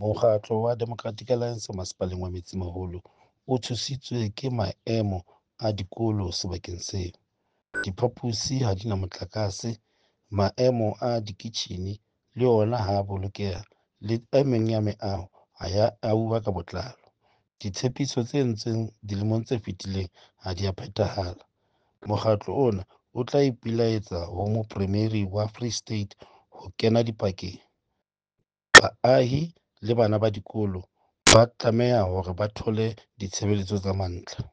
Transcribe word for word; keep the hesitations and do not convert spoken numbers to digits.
Mokgatlo wa Democratic Alliance Masepaleng wa Metsimaholo o tshositswe ke maemo a dikolo sebakeng seo. Diphaposi ha di na motlakase, maemo a dikitjhine le ona ha a bolokeha le e meng ya meaho ha ya ahuwa ka botlalo. Ditshepiso tse entsweng dilemong tse fetileng ha di a phethahala. Mokgatlo ona o tla ipilaetsa ho Mopremiri wa Free State ho kena dipakeng. Baahi le bana ba dikolo ba tlameha hore ba thole ditshebeletso tsa mantlha.